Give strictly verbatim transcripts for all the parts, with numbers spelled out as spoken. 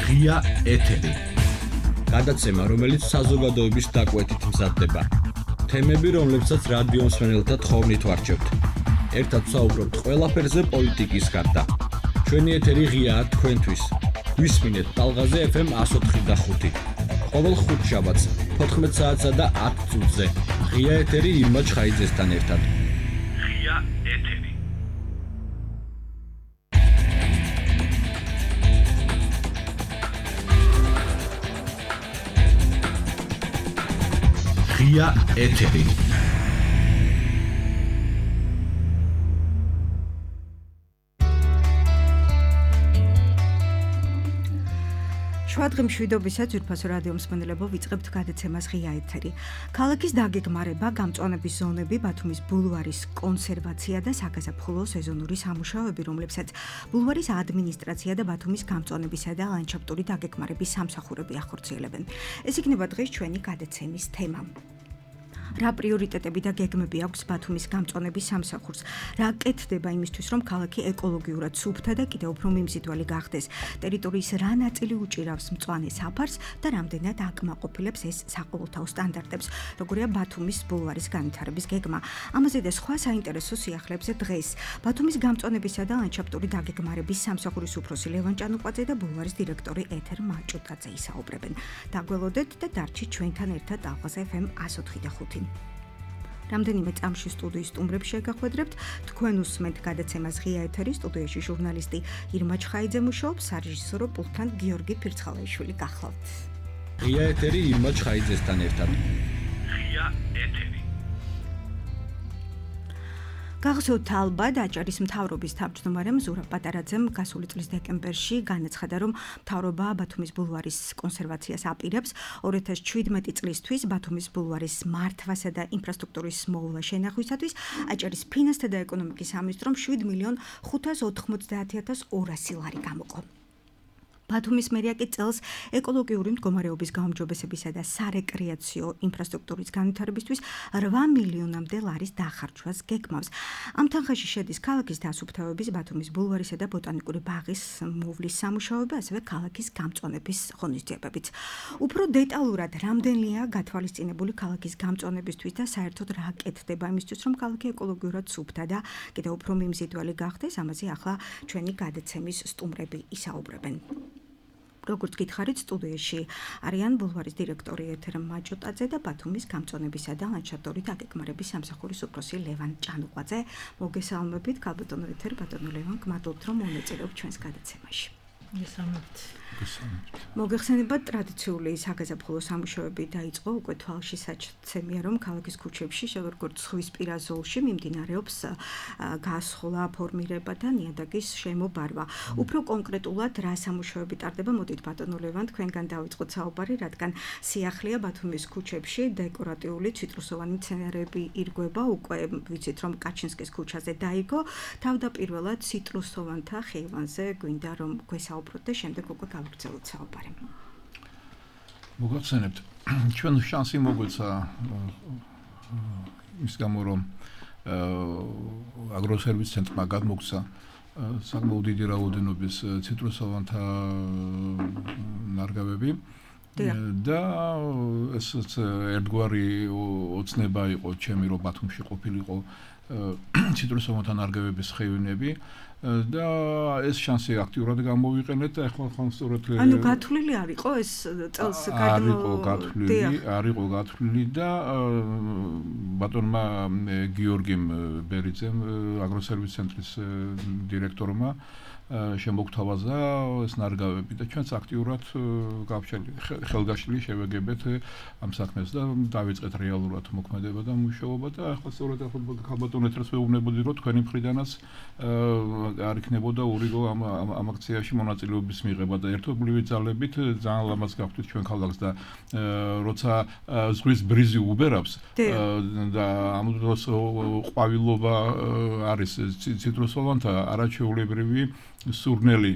ღია ეთერი. გადაცემა, რომელიც საზოგადოების დაკვეთით მზადდება. თემები, რომლებსაც რადიო მსმენელთა თხოვნით ვარჩევთ. ერთად ვსაუბრობთ ყველაფერზე პოლიტიკის გარდა. ჩვენი ეთერი ღიაა თქვენთვის. გვისმინეთ ტალღაზე ეფ ემ one oh four და five. ყოველ ხუთშაბათს fourteen საათსა და ten წუთზე. ღია ეთერი ირმა ჩხაიძესთან ერთად. ღია ეთერი. ღია ეთერი. შვადღი მშვიდობისაც ძვირფასო რადიო მსმენელებო, ვიწყებთ გადაცემას ღია ეთერი. ქალაქის დაგეგმარება, გამწვანების ზონები, ბათუმის ბულვარის კონსერვაცია და საგაზაფხულო სეზონური სამუშაოები, რომლებსაც ბულვარის ადმინისტრაცია და ბათუმის გამწვანებისა და ლანდშაფტური დაგეგმარების სამსახურები ახორციელებენ. ეს იქნება დღეს ჩვენი გადაცემის თემა. რა პრიორიტეტები და გეგმები აქვს ბათუმის გამწვანების სამსახურს? რა კეთდება იმისთვის, რომ ქალაქი ეკოლოგიურად სუფთა და კიდევ უფრო მიმზიდველი გახდეს? ტერიტორიის რა ნაწილი უჭირავს მწვანე საფარს და რამდენად აკმაყოფილებს ეს საყოველთაო სტანდარტებს? როგორია ბათუმის ბულვარის განვითარების გეგმა? ამაზე და სხვა საინტერესო სიახლეებზე დღეს ბათუმის გამწვანებისა და ლანდშაფტური დაგეგმარების სამსახურის უფროსი ლევან ჭანუყვაძე და ბულვარის დირექტორი ეთერ მაჭუტაძე ისაუბრებენ. დაგველოდეთ და დარჩით ჩვენთან ერთად ტალღაზე ეფ ემ one oh four და five. რამდენიმე წამში სტუდიის სტუმრებს შეგახვედრებთ. თქვენ უსმენთ გადაცემას ღია ეთერი, სტუდიაში ჟურნალისტი ირმა ჩხაიძე მუშაობს, სარეჟისორო პულტთან გიორგი ფირცხალაიშვილი გახლავთ. ღია ეთერი ირმა ჩხაიძესთან ერთად. ღია ეთერი. გახსოვთ ალბათ აჭარის მთავრობის თავმჯდომარემ ზურაბ პატარაძემ გასული წლის დეკემბერში განაცხადა, რომ მთავრობა ბათუმის ბულვარის კონსერვაციას აპირებს. two thousand seventeen წლისთვის ბათუმის ბულვარის მართვასა და ინფრასტრუქტურის მოვლა შენახვისათვის აჭარის ფინანსთა და ეკონომიკის სამინისტრომ seven million five hundred ninety thousand two hundred ლარი გამოყო. ბათუმის მერია კი წელს ეკოლოგიური მდგომარეობის გაუმჯობესებისა და სარეკრეაციო ინფრასტრუქტურის განვითარებისთვის eight მილიონამდე ლარის დახარჯვას გეგმავს. ამ თანხაში შედის ქალაქის დასუფთავების, ბათუმის ბულვარისა და ბოტანიკური ბაღის მოვლის სამუშაოები, ასევე ქალაქის გამწვანების ღონისძიებებიც. უფრო დეტალურად რამდენია გათვალისწინებული ქალაქის გამწვანებისთვის და საერთოდ რა კეთდება იმისთვის, რომ ქალაქი ეკოლოგიურად სუფთა და კიდევ უფრო მიმზიდველი გახდეს, ამაზე ახლა ჩვენი გადაცემის სტუმრები ისაუბრებენ. როგორც გითხარით, სტუდიაში არიან ბულვარის დირექტორი ეთერ მაჭუტაძე და ბათუმის გამწვანებისა და ლანდშაფტური დაგეგმარების სამსახურის უფროსი ლევან ჭანუყვაძე. მოგესალმებით, ქალბატონო ეთერ, ბატონო ლევან, გმადლობთ, რომ მონაწილეობთ ჩვენს გადაცემაში. მოგესალმებით. მოგეხსენებათ, ტრადიციული საგაზაფხულო სამუშაოები დაიწყო უკვე თვალში საცემია, რომ ქალაქის ქუჩებში, როგორც ზღვისპირა ზოლში მიმდინარეობს გასხლა, ფორმირება და ნიადაგის შემობარვა. უფრო კონკრეტულად რა სამუშაოები ტარდება, მოდით ბატონო ლევან, თქვენგან დავიწყოთ საუბარი, რადგან სიახლეა ბათუმის ქუჩებში დეკორატიული ციტრუსოვანი მცენარეები ირგვება, უკვე ვიცით, რომ კაჩინსკის ქუჩაზე დაიგო. თავდაპირველად ციტრუსოვანთა ხეივანზე გვინდა რომ გვესაუბროთ და შემდეგ უკვე გავაგრძელოთ საუბარი. მოგახსენებთ, ჩვენ შანსი მოგვეცა ის გამო, რომ აგროსერვის ცენტრმა გადმოგცა საკმაოდ დიდი რაოდენობის ციტრუსოვანთა ნარგავები და ესეც ერთგვარი ოცნება იყო ჩემი, რომ ბათუმში ყოფილიყო ციტრუსოვანთა ნარგავების ხეივნები და ეს შანსი აქტიურად გამოვიყენეთ და ახლა ხან სწორედ ანუ გათვლილი არ იყო ეს წელს გადმო არისო გათვლილი არისო გათვლილი და ბატონმა გიორგიმ ბერიძემ აგროსერვის ცენტრის დირექტორმა შემოგთავაზა ეს ნარგავები და ჩვენც აქტიურად ხელგაშლილი შევეგებეთ ამ საქმეს და დავიწყეთ რეალურად მოქმედება და მუშაობა და ახლა სწორედ ქალბატონ ეთერს ვეუბნებოდი, რომ თქვენი მხრიდანაც არ იქნებოდა ურიგო ამ ამ აქციაში მონაწილეობის მიღება და ერთობლივი ძალებით ძალიან ლამაზ გავხდით ჩვენ ქალაქს და როცა ზღვის ბრიზი უბერავს და ამ დროს ყვავილობა არის ციტრუსოვანთა არაჩვეულებრივი სურნელი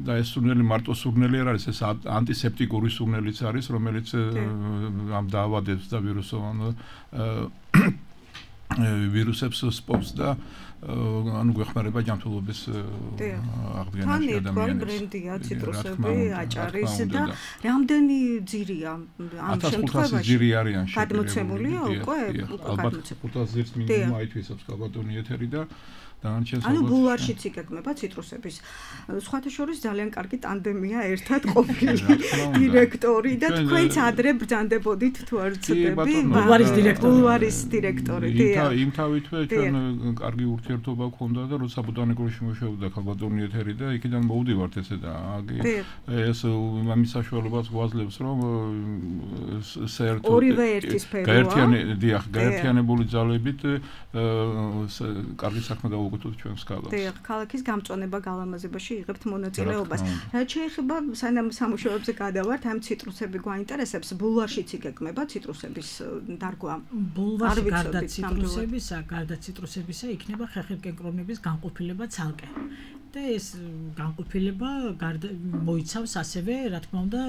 და ეს სურნელი მარტო სურნელი არ არის, ეს ანტისეპტიკური სურნელიც არის, რომელიც ამ დაავადებს და ვირუსოვან ვირუსებს სპობს და ანუ გვეხმარება ჯანმრთელობის აღდგენაში ადამიანებს. თან ბრენდია ციტრუსები, აჭარის და რამდენი ძირია ამ შემთხვევაში? ათას ძირი არიან შეფერებული. გადმოცემულია უკვე? ალბათ ხუთას ძირს მინიმუმ აითვისებს კაბატონი ეთერი და ანუ ბულვარშიც იგეგმება ციტრუსების. სხვათა შორის ძალიან კარგი ტანდემია ერთად ყოფილი დირექტორი და თქვენც ადრე ბრძანდებოდით თუ არ ვცდები ბულვარის დირექტორი. ბულვარის დირექტორი. იმ თავითვე ჩვენ კარგი ურთიერთობა გქონდა და როცა ბოტანიკურში მუშაობდა კაბატონი ეთერი და იქიდან მოვდივართ ესე და ეს იმის საშუალებას გვაძლევს რომ საერთოდ ორივე ერთი სფეროა. გაერთიანი დიახ, გაერთიანებული ძალებით კარგი საქმე გაუგო ჩვენს ქალაქს. დიახ, ქალაქის გამწვანება გალამაზებაში იღებთ მონაწილეობას. რაც შეეხება სანამ სამუშაოებზე გადავართ, ამ ციტრუსები გვაინტერესებს, ბულვარშიც იგეგმება ციტრუსების დარგვა. ბულვარში გარდა ციტრუსებისა, გარდა ციტრუსებისა იქნება ხეხილკენკრონების განყოფილება ცალკე. და ეს განყოფილება მოიცავს ასევე, რა თქმა უნდა,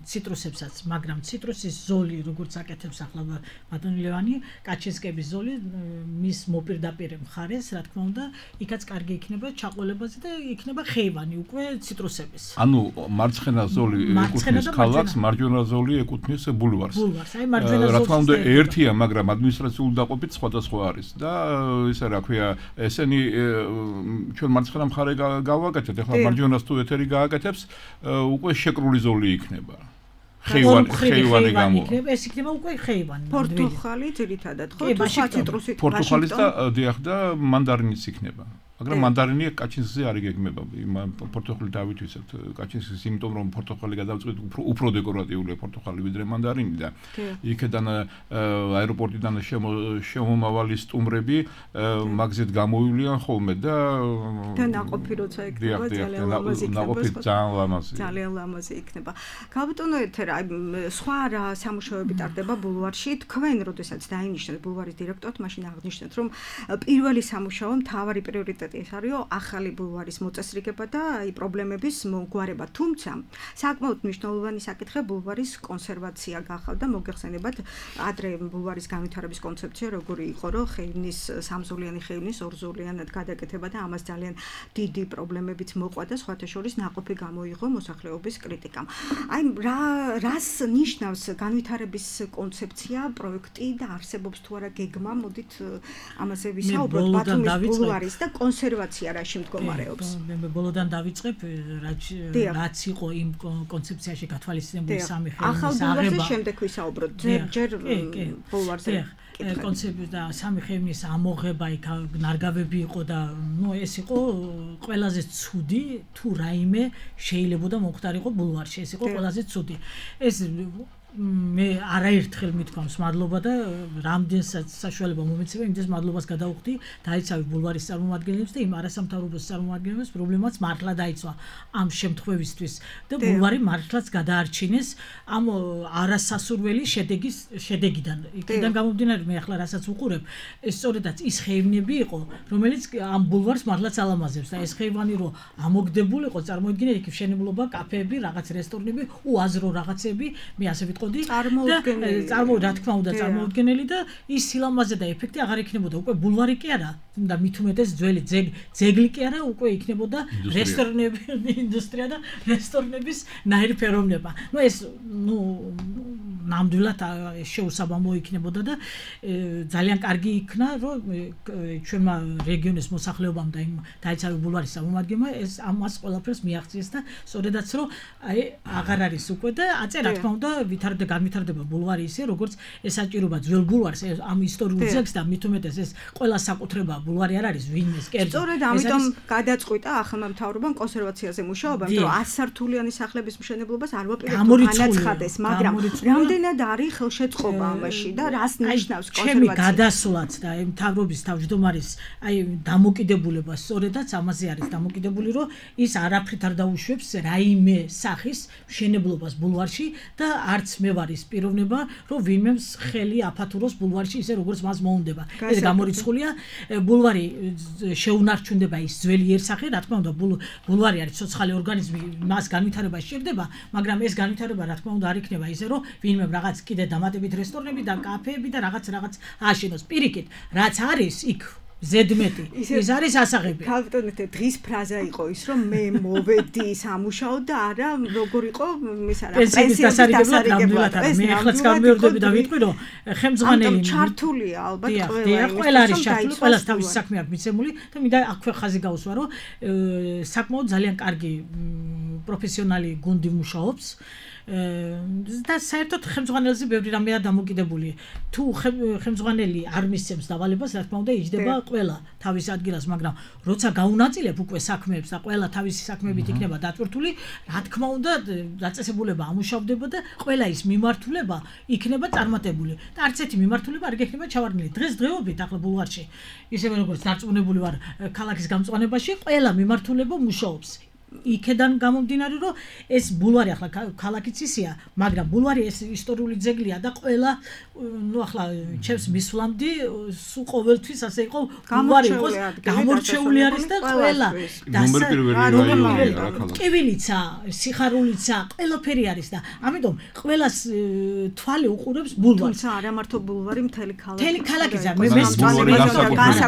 ციტრუსებსაც, მაგრამ ციტრუსის ზოლი, როგორც აკეთებს ახლა ბატონი ლევანი, კაჩინსკების ზოლი მის მოპირდაპირე მხარეს, რა თქმა უნდა, იქაც კარგი იქნება ჩაყოლებაზე და იქნება ხეივანი უკვე ციტრუსების. ანუ მარცხენა ზოლი ეკუთვნის ქალაქს, მარჯვენა ზოლი ეკუთვნის ბულვარს. ბულვარს, აი მარჯვენა ზოლი. რა თქმა უნდა, ერთია, მაგრამ ადმინისტრაციული დაყოფით სხვადასხვა არის და ისე რა ქვია, ესენი ჩვენ მარცხენა მხარე გავაკეთეთ, ახლა მარჯვენას თუ ეთერი გააკეთებს, უკვე შეკრული ზოლი იქნება. ხეივანი, ხეივანი გამო. ეს იქნება უკვე ხეივანი. პორტუხალი ძირითადად ხო? ციტრუსით. პორტუხალის და დიახ და მანდარინიც იქნება. მაგრამ მანდარინი კაჩინსკზე არ იგეგმება. პორტუხალი დავითვისებთ კაჩინსკის, იმიტომ რომ პორტუხალი გადავწყვით უფრო უფრო დეკორატიულია პორტუხალი ვიდრე მანდარინი და იქედან აეროპორტიდან შემომავალი სტუმრები მაგზით გამოვივლიან ხოლმე და და ნაყოფი როცა იქნება ძალიან ლამაზი იქნება. ნაყოფი ძალიან ლამაზი. ძალიან ლამაზი იქნება. გაბატონო ეთერა, სხვა რა სამუშაოები ტარდება ბულვარში? თქვენ როდესაც დაინიშნეთ ბულვარის დირექტორად, მაშინ აღნიშნეთ, რომ პირველი სამუშაო მთავარი პრიორიტეტი ეს არისო ახალი ბულვარის მოწესრიგება და აი პრობლემების მოგვარება. თუმცა საკმაოდ მნიშვნელოვანი საკითხი ბულვარის კონსერვაცია გახავდა და მოგეხსენებათ ადრე ბულვარის განვითარების კონცეფცია როგორი იყო, რომ ხეივნის სამზოლიანი ხეივნის ორზოლიანად გადაკეთება და ამას ძალიან დიდი პრობლემებიც მოყვა და სხვათა შორის ნაყოფი გამოიღო მოსახლეობის კრიტიკამ. აი რა რას ნიშნავს განვითარების კონცეფცია, პროექტი და არსებობს თუ არა გეგმა, მოდით ამაზე ვისაუბროთ ბათუმის ბულვარის და კონსერვაცია რაში მდგომარეობს. მე ბოლოდან დავიწყებ, რაც იყო იმ კონცეფციაში გათვალისწინებული სამი ხეივნის აღება. ახალ ბულვარზე შემდეგ ვისაუბროთ, ჯერ ბულვარზე. კონცეფცია და სამი ხეივნის ამოღება იქ ნარგავები იყო და ნუ ეს იყო ყველაზე ცუდი თუ რაიმე შეიძლებოდა მომხდარიყო ბულვარში, ეს იყო ყველაზე ცუდი. ეს მე არაერთხელ მithქვამს მადლობა და რამდენსაც საშუალება მომეცემა, იმდეს მადლობას გადავხდი დაიცავი ბულვარის წარმომადგენლებს და იმ არასამთავრობო წარმომადგენლებს, პრობლემაც მართლა დაიცვა ამ შემთხვევისთვის და ბულვარი მართლაც გადაარჩინეს ამ არასასურველი შედეგის შედეგიდან. იქიდან გამომდინარე მე ახლა რასაც უყურებ, ეს სწორედაც ის ხეივნები იყო, რომელიც ამ ბულვარს მართლაც ალამაზებს და ეს ხეივანი რო ამოგდებულიყო, წარმოიდგინეთ იქ მშენებლობა, კაფეები, რაღაც რესტორნები, უაზრო რაღაცები, მე ასე წარმოუდგენელი წარმო რა თქმა უნდა წარმოუდგენელი და ის სილამაზე და ეფექტი აღარ იქნებოდა უკვე ბულვარი კი არა და მით უმეტეს ძველი ძეგლი კი არა უკვე იქნებოდა რესტორნები ინდუსტრია და რესტორნების ნაირფეროვნება. ნუ ეს ნუ ნამდვილად შეუსაბამო იქნებოდა და ძალიან კარგი იქნა რომ ჩვენმა რეგიონის მოსახლეობამ და იმ დაიცავი ბულვარის წარმომადგენლმა ეს ამას ყველაფერს მიაღწიეს და სწორედაც რომ აი აღარ არის უკვე და აწე რა თქმა უნდა ვითარდება განვითარდება ბულვარი ისე როგორც ესაჭიროება ძველ ბულვარს ამ ისტორიულ ძეგლს და მით უმეტეს ეს ყველა საკუთრება ბულვარი არ არის ვინმეს კერძო. სწორედ ამიტომ გადაწყვიტა ახალმა მთავრობამ კონსერვაციაზე მუშაობა, იმიტომ რომ ას სართულიანი სახლების მშენებლობას არ ვაპირებთ განაცხადეს, მაგრამ რამდენად არის ხელშეწყობა ამაში და რას ნიშნავს კონსერვაცია? ჩემი გადასვლაც და აი მთავრობის თავმჯდომარის აი დამოკიდებულება სწორედაც ამაზე არის დამოკიდებული, რომ ის არაფრით არ დაუშვებს რაიმე სახის მშენებლობას ბულვარში და არც მე ვარ ის პიროვნება, რომ ვინმე ხელი აფათუროს ბულვარში ისე როგორც მას მოუნდება. ეს გამორიცხულია ბულვარი შეუნარჩუნდება ის ძველი იერსახე, რა თქმა უნდა ბულვარი არის ცოცხალი ორგანიზმი, მას განვითარება სჭირდება, მაგრამ ეს განვითარება რა თქმა უნდა არ იქნება ისე, რომ ვინმე იქნებ რაღაც კიდე დამატებით რესტორნები და კაფეები და რაღაც რაღაც აშენოს. პირიქით, რაც არის იქ ზედმეტი ის არის ასაღები. ქალბატონეთე დღის ფრაზა იყო ის რომ მე მოვედი სამუშაოდ და არა როგორ იყო ის არა პენსიის დასარიგებლად მე ახლაც გამეორდები და ვიტყვი რომ ხელმძღვანელი ჩართულია ალბათ ყველა ყველა არის ჩართული ყველას თავისი საქმე აქვს მიცემული და მინდა აქვე ხაზი გავუსვა რომ საკმაოდ ძალიან კარგი პროფესიონალი გუნდი მუშაობს და საერთოდ ხელმძღვანელზე ბევრი რამეა დამოკიდებული. თუ ხელმძღვანელი არ მისცემს დავალებას, რა თქმა უნდა, იჯდება ყველა თავის ადგილას, მაგრამ როცა გაუნაწილებ უკვე საქმეებს და ყველა თავისი საქმეებით იქნება დატვირთული, რა თქმა უნდა, დაწესებულება ამუშავდება და ყველა ის მიმართულება იქნება წარმატებული. და არც ერთი მიმართულება არ გექნება ჩავარდნილი. დღესდღეობით ახლა ბულვარში, ისევე როგორც დარწმუნებული ვარ ქალაქის გამწვანებაში, ყველა მიმართულება მუშაობს. იქედან გამომდინარე რომ ეს ბულვარი ახლა ქალაქიც ისეა, მაგრამ ბულვარი ეს ისტორიული ძეგლია და ყველა ნუ ახლა ჩემს მისვლამდი სულ ყოველთვის ასე იყო ბულვარი იყოს გამორჩეული არის და ყველა ნომერ პირველი რაიონია რა ქალაქი. კივილიცა, სიხარულიცა, ყველაფერი არის და ამიტომ ყველას თვალი უყურებს ბულვარს. თუმცა არა მარტო ბულვარი მთელი ქალაქი. მთელი ქალაქია მე მე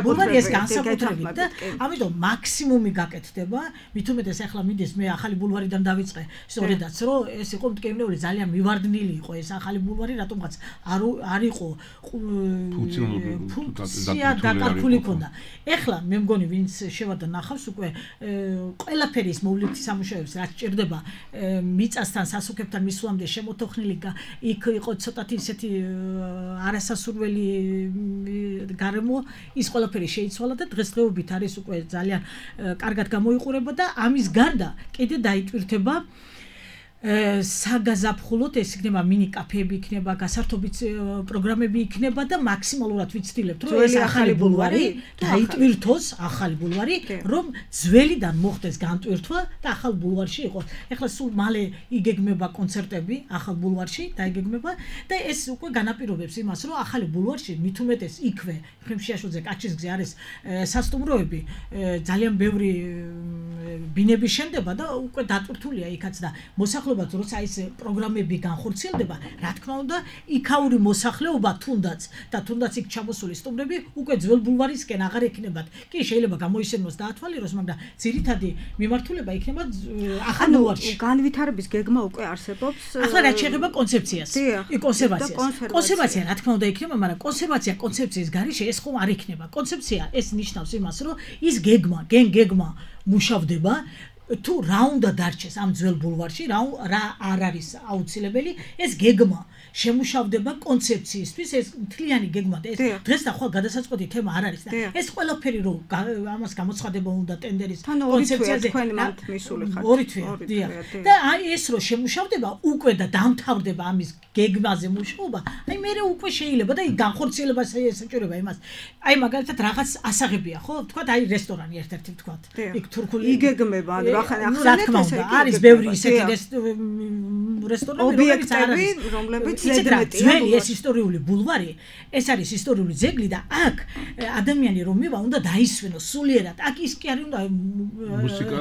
ბულვარი ეს განსაკუთრებით და ამიტომ მაქსიმუმი გაკეთდება, მით უმეტეს ახლა მიდის მე ახალი ბულვარიდან დავიწყე სწორედაც რომ ეს იყო მტკივნეული ძალიან მივარდნილი იყო ეს ახალი ბულვარი რატომღაც არ არ იყო ფუნქცია დაკარგული ქონდა. ეხლა მე მგონი ვინც შევარდა ნახავს უკვე ყველაფერი ის მოვლითი სამუშაოებს რაც ჭირდება მიწასთან სასუქებთან მისვლამდე შემოთოხნილი იქ იყო ცოტათი ისეთი არასასურველი გარემო ის ყველაფერი შეიცვალა და დღესდღეობით არის უკვე ძალიან კარგად გამოიყურება და ამის გარდა კიდე დაიტვირთება საგაზაფხულოდ ეს იქნება მინი კაფეები იქნება, გასართობი პროგრამები იქნება და მაქსიმალურად ვიცდილებთ რომ ეს ახალი ბულვარი დაიტვირთოს, ახალი ბულვარი, რომ ძველიდან მოხდეს განტვირთვა და ახალ ბულვარში იყოს. ეხლა სულ მალე იგეგმება კონცერტები ახალ ბულვარში და იგეგმება და ეს უკვე განაპირობებს იმას, რომ ახალი ბულვარში მით უმეტეს იქვე ხიმშიაშვილზე კაჩის გზე არის სასტუმროები, ძალიან ბევრი ბინები შენდება და უკვე დატვირთულია იქაც და მოსახლეობა როცა ის პროგრამები განხორციელდება, რა თქმა უნდა, იქაური მოსახლეობა თუნდაც და თუნდაც იქ ჩამოსული სტუმრები უკვე ძველ ბულვარისკენ აღარ ექნებათ. კი, შეიძლება გამოისენოს დაათვალიეროს, მაგრამ ძირითადი მიმართულება იქნება ახალ ბულვარში. განვითარების გეგმა უკვე არსებობს. ახლა რაც შეეხება კონცეფციას, კი კონსერვაციას. კონსერვაცია რა თქმა უნდა იქნება, მაგრამ კონსერვაცია კონცეფციის გარეშე ეს ხომ არ იქნება. კონცეფცია ეს ნიშნავს იმას, რომ ის გეგმა, გენ გეგმა მუშავდება თუ რა უნდა დარჩეს ამ ძველ ბულვარში, რა რა არ არის აუცილებელი, ეს გეგმა შემუშავდება კონცეფციისთვის, ეს მთლიანი გეგმა და ეს დღეს და ხვალ გადასაწყვეტი თემა არ არის და ეს ყველაფერი რომ ამას გამოცხადება უნდა ტენდერის კონცეფციაზე თქვენ მათ მისული ხართ. ორი თვე, დიახ. და აი ეს რომ შემუშავდება უკვე და დამთავრდება ამის გეგმაზე მუშაობა, აი მე უკვე შეიძლება და განხორციელებას ესაჭიროება იმას. აი მაგალითად რაღაც ასაღებია, ხო? თქვათ აი რესტორანი ერთ-ერთი თქვათ. იქ თურქული იგეგმება, ანუ ახლა ახლა არის ბევრი ისეთი რესტორნები, რომლებიც ზედმეტია. ძველი ეს ისტორიული ბულვარი, ეს არის ისტორიული ძეგლი და აქ ადამიანი რომ მივა უნდა დაისვენოს სულიერად. აქ ის კი არის უნდა მუსიკა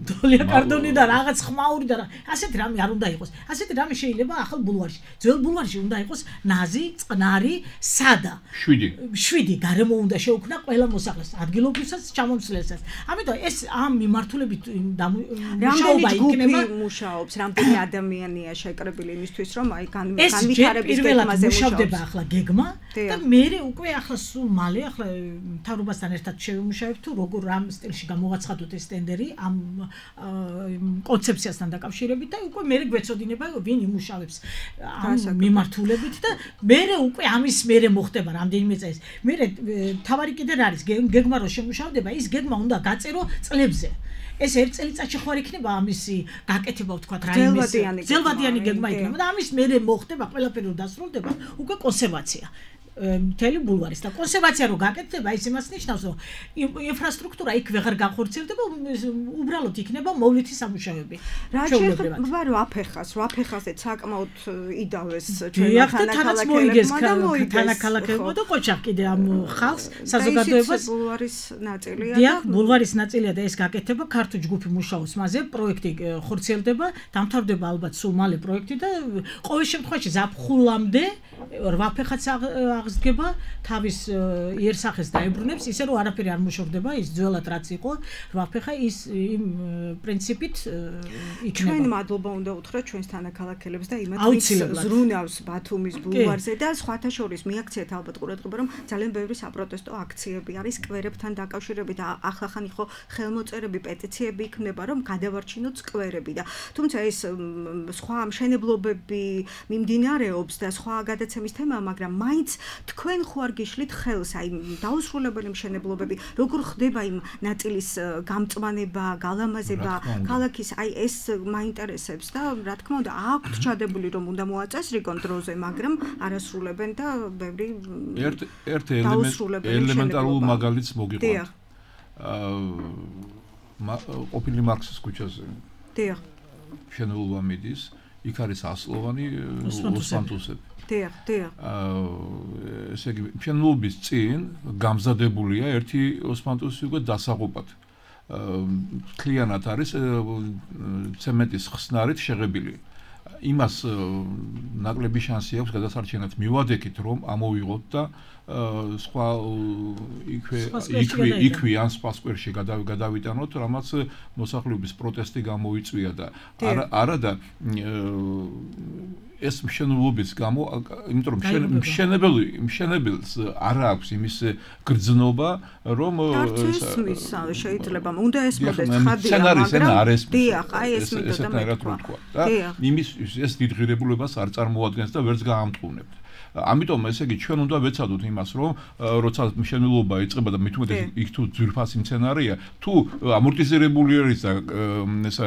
დოლია კარდონი და რაღაც ხმაური და ასეთი რამე არ უნდა იყოს. ასეთი რამე შეიძლება ახალ ბულვარში. ძველ ბულვარში უნდა იყოს ნაზი, წყნარი, სადა. შვიდი. შვიდი გარემო უნდა შეუქმნა ყველა მოსახლეს, ადგილობრივსაც, ჩამომცვლელსაც. ამიტომ ეს ამ მიმართულებით მუშაობა იქნება. მუშაობს, რამდენი ადამიანია შეკრებილი იმისთვის რომ აი განვითარების გეგმაზე მუშავდება ახლა გეგმა და მე უკვე ახლა სულ მალე ახლა მთავრობასთან ერთად შევიმუშავებთ თუ როგორ რამ სტილში გამოვაცხადოთ ეს ტენდერი ამ კონცეფციასთან დაკავშირებით და უკვე მე გვეცოდინება ვინ იმუშავებს ამ მიმართულებით და მე უკვე ამის მერე მოხდება რამდენიმე წელს. მე თავარი კიდე რა არის გეგმა რო შემუშავდება ის გეგმა უნდა გაწერო წლებზე. ეს ერთ წელიწადში ხوار იქნება ამისი გაკეთება ვთქვათ რა იმის ძელვადიანი გეგმა იქნება და ამის მერე მოხდება ყველაფერი რომ დასრულდება უკვე კონსერვაცია. მთელი ბულვარის და კონსერვაცია რო გაკეთდება, ის იმას ნიშნავს, რომ ინფრასტრუქტურა იქ ვეღარ განხორციელდება, უბრალოდ იქნება მოვლითი სამუშაოები. რა შეიძლება რომ აფეხას, რო აფეხაზე საკმაოდ იდავეს ჩვენმა თანაქალაქებმა და ყოჩახ კიდე ამ ხალხს საზოგადოებას ბულვარის ნაწილია და ბულვარის ნაწილია და ეს გაკეთება ქართული ჯგუფი მუშაობს მასზე, პროექტი ხორციელდება, დამთავრდება ალბათ სულ მალე პროექტი და ყოველ შემთხვევაში ზაფხულამდე რვაფეხაც აღსდგება, თავის იერსახეს დაებრუნებს, ისე რომ არაფერი არ მოშორდება, ის ძველად რაც იყო, რვაფეხა ის იმ პრინციპით იქნება. ჩვენ მადლობა უნდა უთხრათ ჩვენს თანაქალაქელებს და იმათაც ზრუნავს ბათუმის ბულვარზე და სხვათა შორის მიაქციეთ ალბათ ყურადღება, რომ ძალიან ბევრი საპროტესტო აქციები არის სკვერებთან დაკავშირებით, ახლახან იყო ხელმოწერები, პეტიციები იქნება, რომ გადავარჩინოთ სკვერები და თუმცა ეს სხვა მშენებლობები მიმდინარეობს და სხვა გადაცემის თემაა, მაგრამ მაინც თქვენ ხო არ გიშლით ხელს, აი დაუსრულებელი მშენებლობები, როგორ ხდება იმ ნაწილის გამწვანება, გალამაზება, ქალაქის, აი ეს მაინტერესებს და რა თქმა უნდა, აქვთ ჩადებული რომ უნდა მოაწესრიგონ დროზე, მაგრამ არასრულებენ და ბევრი ერთ ერთ ელემენტარულ მაგალითს მოგიყვანთ. აა ყოფილი მარქსის ქუჩაზე. დიახ. შენობა მიდის, იქ არის ასლოვანი ოსმანტუსები. დიახ, დიახ. აა ესე იგი, შენობის წინ გამზადებულია ერთი ოსმანტუსი უკვე დასაღუპად. კლიანად არის ცემენტის ხსნარით შეღებილი. იმას ნაკლები შანსი აქვს გადასარჩენად მივადექით რომ ამოვიღოთ და სხვა იქვე იქვე იქვე ან სხვა სკვერში გადავიტანოთ, რამაც მოსახლეობის პროტესტი გამოიწვია და არა და ეს მშენებლობის გამო, იმიტომ რომ მშენებელი მშენებელს არ აქვს იმის გრძნობა, რომ შეიძლება უნდა ესმოდეს ხადია, მაგრამ დიახ, აი ეს მეთოდა და იმის ეს დიდ ღირებულებას არ წარმოადგენს და ვერც გაამტყუნებთ. ამიტომ ესე იგი ჩვენ უნდა ვეცადოთ იმას, რომ როცა მშენებლობა იწყება და მით უმეტეს იქ თუ ძვირფასი მცენარეა, თუ ამორტიზირებული არის და ესა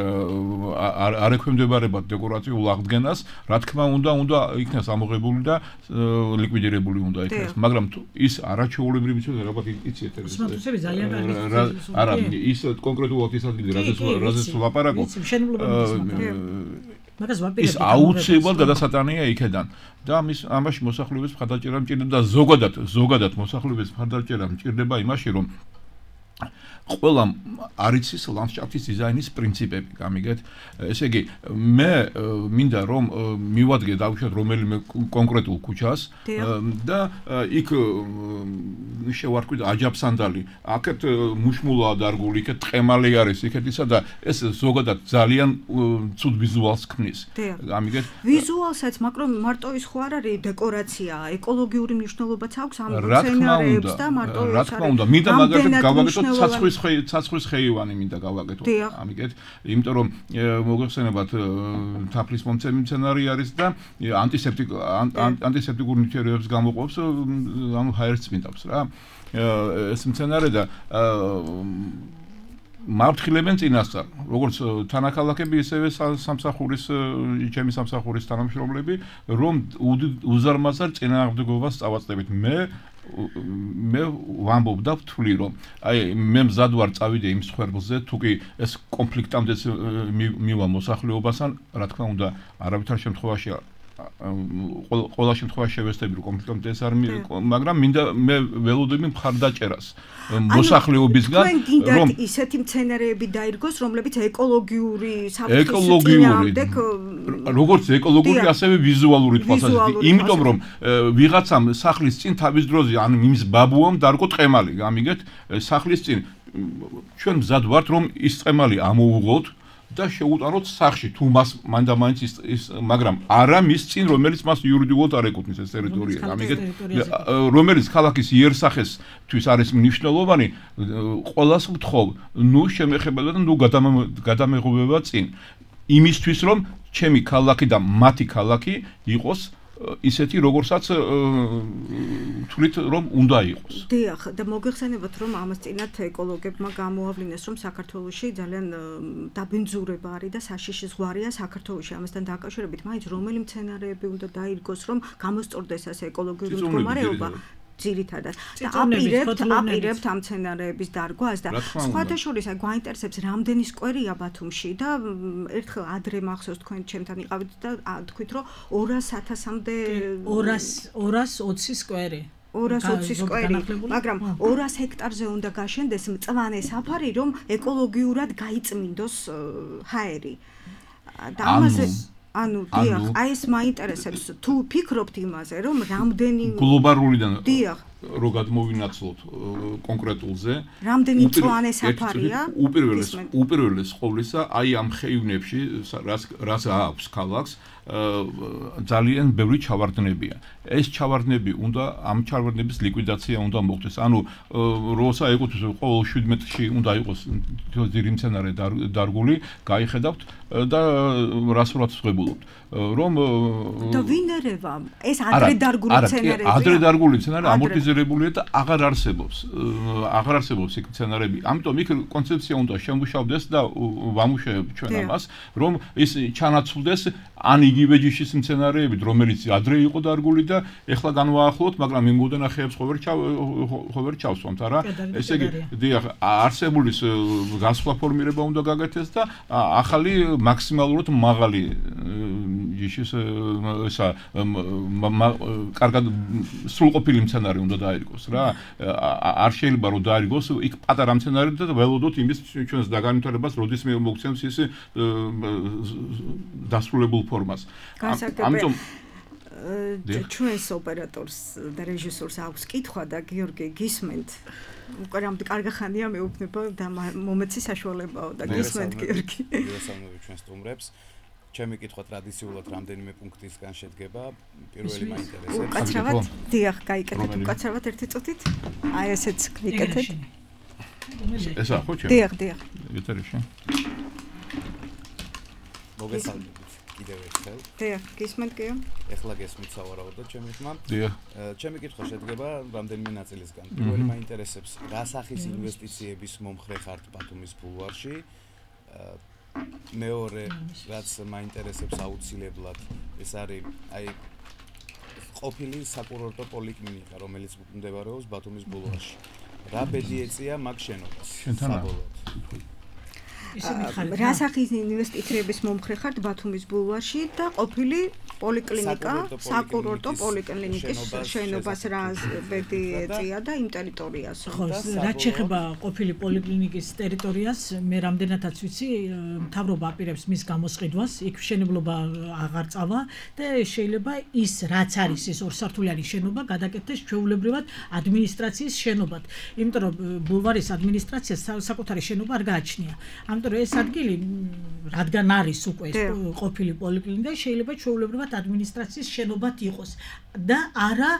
არ ექვემდებარება დეკორაციულ აღდგენას, რა თქმა უნდა, უნდა იქნას ამოღებული და ლიკვიდირებული უნდა იქნას, მაგრამ ის არაჩვეულებრივი მცენარეა, ალბათ იცით ეს. მოსმენები ძალიან კარგი. არა, ის კონკრეტულად ის ადგილი, რაზეც ვლაპარაკობ. ის აუცილებლად გადასატანია იქედან და ამის ამაში მოსახლეობის მხარდაჭერა მჭირდება და ზოგადად ზოგადად მოსახლეობის მხარდაჭერა მჭირდება იმაში, რომ ყველა არ იცის ლანდშაფტის დიზაინის პრინციპები, გამიგეთ? ესე იგი, მე მინდა რომ მივადგე დავუშვათ რომელიმე კონკრეტულ ქუჩას და იქ შევარკვით აჯაფსანდალი, აქეთ მუშმულაა დარგული, იქეთ ტყემალი არის, იქეთ ისა და ეს ზოგადად ძალიან ცუდ ვიზუალს ქმნის. გამიგეთ? ვიზუალსაც, მაგრამ მარტო ის ხო არ არის დეკორაცია, ეკოლოგიური მნიშვნელობაც აქვს ამ მცენარეებს და მარტო ის არის. რა თქმა უნდა, მინდა მაგალითად გავაკეთოთ ცაცხვი ცაცხვრის ხეივანი მინდა გავაკეთოთ. ამიგეთ, იმიტომ რომ მოგეხსენებათ თაფლის მომცემი მცენარე არის და ანტისეპტიკ ანტისეპტიკურ ნივთიერებებს გამოყოფს, ანუ ჰაერს წმინდავს რა. ეს მცენარე და მართხილებენ წინასწარ, როგორც თანაქალაქები, ისევე სამსახურის ჩემი სამსახურის თანამშრომლები, რომ უზარმაზარ წინააღმდეგობას წავაწდებით. მე მე ვამბობ და ვთვლი, რომ აი მე მზად ვარ წავიდე იმ სხერბლზე, თუ კი ეს კონფლიქტამდე მივა მოსახლეობასთან, რა თქმა უნდა, არავითარ შემთხვევაში ყველა შემთხვევაში შევესწრები რომ კონფლიქტამდე ეს არ მაგრამ მინდა მე ველოდები მხარდაჭერას მოსახლეობისგან, რომ ისეთი მცენარეები დაირგოს, რომლებიც ეკოლოგიური ეკოლოგიური როგორც ეკოლოგიური, ასევე ვიზუალური თვალსაზრისით, იმიტომ რომ ვიღაცამ სახლის წინ თავის დროზე ან იმის ბაბუამ დარგო ტყემალი, გამიგეთ? სახლის წინ ჩვენ მზად ვართ რომ ის ტყემალი ამოუღოთ და შეუტანოთ სახში, თუ მას მანდამაინც ის, მაგრამ არა მის წინ, რომელიც მას იურიდიულად არ ეკუთვნის ეს ტერიტორია, გამიგეთ? რომელიც ქალაქის იერსახესთვის არის მნიშვნელოვანი, ყველას ვთხოვ, ნუ შემეხება და ნუ გადამეღობება წინ. იმისთვის, რომ ჩემი ქალაქი და მათი ქალაქი იყოს ისეთი როგორცაც თვლით რომ უნდა იყოს. დიახ, და მოგეხსენებათ რომ ამას წინათ ეკოლოგებმა გამოავლინეს რომ საქართველოში ძალიან დაბინძურება არის და საშიში ზღვარია საქართველოში ამასთან დაკავშირებით, მაინც რომელი მცენარეები უნდა დაირგოს რომ გამოსწორდეს ასე ეკოლოგიური მდგომარეობა. ძირითადად და აპირებთ აპირებთ ამ მცენარეების დარგვას და სხვათა შორის აი გვაინტერესებს რამდენი სკვერია ბათუმში და ერთხელ ადრე მახსოვს თქვენ ჩემთან იყავით და თქვით რომ ორას ათასამდე ორას ოცი სკვერი ორას ოცი სკვერი, მაგრამ ორას ჰექტარზე უნდა გაშენდეს მწვანე საფარი, რომ ეკოლოგიურად გაიწმინდოს ჰაერი. და ამაზე ანუ დიახ, აი ეს მაინტერესებს თუ ფიქრობთ იმაზე, რომ რამდენი გლობალურიდან დიახ რო გადმოვინაცვლოთ კონკრეტულზე, რამდენი მწვანე საფარია? უპირველეს უპირველეს ყოვლისა, აი ამ ხეივნებში, რაც რაც აქვს ქალაქს, ძალიან ბევრი ჩავარდნებია. ეს ჩავარდნები უნდა ამ ჩავარდნების ლიკვიდაცია უნდა მოხდეს. ანუ როცა ეკუთვნის ყოველ შვიდ მეტრში უნდა იყოს ძირი მცენარე დარგული, გაიხედავთ და რასურად ვღებულობთ. რომ და ვინ ერევა? ეს ადრე დარგული მცენარეებია? ადრე დარგული მცენარე ამორტიზირებულია და აღარ არსებობს. აღარ არსებობს იქ მცენარეები. ამიტომ იქ კონცეფცია უნდა შემუშავდეს და ვამუშავებ ჩვენ ამას, რომ ის ჩანაცვლდეს ან იგივე ჯიშის მცენარეებით, რომელიც ადრე იყო დარგული და ეხლა განვაახლოთ, მაგრამ იმ გუდენახეებს ხო ვერ ხო ვერ ჩავსვამთ, არა? ესე იგი, დიახ, არსებული გასვლა ფორმირება უნდა გაგეთეს და ახალი მაქსიმალურად მაღალი ჯიშის ესა კარგად სრულყოფილი მცენარე უნდა დაირგოს რა. არ შეიძლება რომ დაირგოს იქ პატარა მცენარე და ველოდოთ იმის ჩვენს დაგანვითარებას, როდის მე მოგცემს ის დასრულებულ ფორმას. ამიტომ ჩვენს ოპერატორს და რეჟისორს აქვს კითხვა და გიორგი გისმენთ. უკვე რამდენი კარგი ხანია მეუბნება და მომეცი საშუალებაო და გისმენთ გიორგი. მოგესალმებით ჩვენ სტუმრებს. ჩემი კითხვა ტრადიციულად რამდენიმე პუნქტისგან შედგება. პირველი მაინტერესებს. უკაცრავად, დიახ, გაიკეთეთ უკაცრავად ერთი წუთით. აი ესეც ვიკეთეთ. ესა ხო ჩემ? დიახ, დიახ. ეთერში. მოგესალმებით კიდევ ერთხელ. დიახ, გისმენთ გიო? ეხლა გესმით სავარაუდოდ ჩემი ხმა. დიახ. ჩემი კითხვა შედგება რამდენიმე ნაწილისგან. პირველი მაინტერესებს, რა სახის ინვესტიციების მომხრე ხართ ბათუმის ბულვარში? მეორე, რაც მაინტერესებს აუცილებლად, ეს არის აი ყოფილი საკურორტო პოლიკლინიკა, რომელიც მდებარეობს ბათუმის ბულვარში. რა ბედი ეწია მაგ შენობას? საბოლოოდ. რა სახის ინვესტიციების მომხრე ხართ ბათუმის ბულვარში და ყოფილი პოლიკლინიკა, საკურორტო პოლიკლინიკის შენობას რა ბედი ეწია და იმ ტერიტორიას. ხო, რაც შეეხება ყოფილი პოლიკლინიკის ტერიტორიას, მე რამდენადაც ვიცი, მთავრობა აპირებს მის გამოსყიდვას, იქ მშენებლობა აღარ წავა და შეიძლება ის რაც არის ეს ორსართულიანი შენობა გადაკეთდეს ჩვეულებრივად ადმინისტრაციის შენობად. იმიტომ რომ ბულვარის ადმინისტრაციას საკუთარი შენობა არ გააჩნია. ამიტომ ეს ადგილი რადგან არის უკვე ყოფილი პოლიკლინიკა, შეიძლება ჩვეულებრივად ადმინისტრაციის შენობად იყოს და არა